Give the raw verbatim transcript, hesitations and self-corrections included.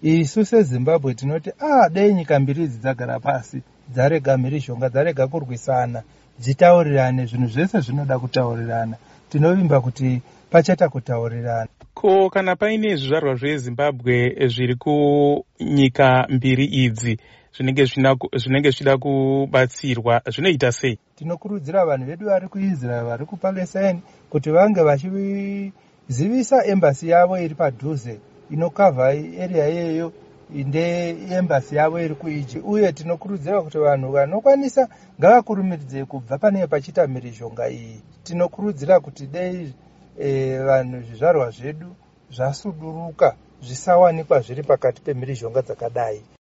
Isu seZimbabwe tinoti a ah, dei nyika mbiri idzi dzagara pasi, dzarega mhirizhonga, dzarega kurwisana, dzitaurirane. Zvinhu zvese zvinoda kutaurirana. Tinovimba kuti pachaita kutaurirana. Ko kana paine zvizvarwa zveZimbabwe zviri kunyika mbiri idzi zvinenge zvichida kubatsirwa, zvinoita sei? Tinokurudzira vanhu vedu vari kuIsrael, vari kuPalestine, kuti vange vachizivisa embassy yavo iri padhuze inokavha area iyeyo, ndeembassy yavo iri kuEgypt. Uye tinokurudzira kuti vanhu vanokwanisa ngavakurumidze kubva panenge pachiita mhirizhonga iyi. Tinokurudzira kuti dei e, vanhu, zvizvarwa zvedu zvasuduruka, zvisawanikwa zviri pakati pemhirizhonga dzakadai.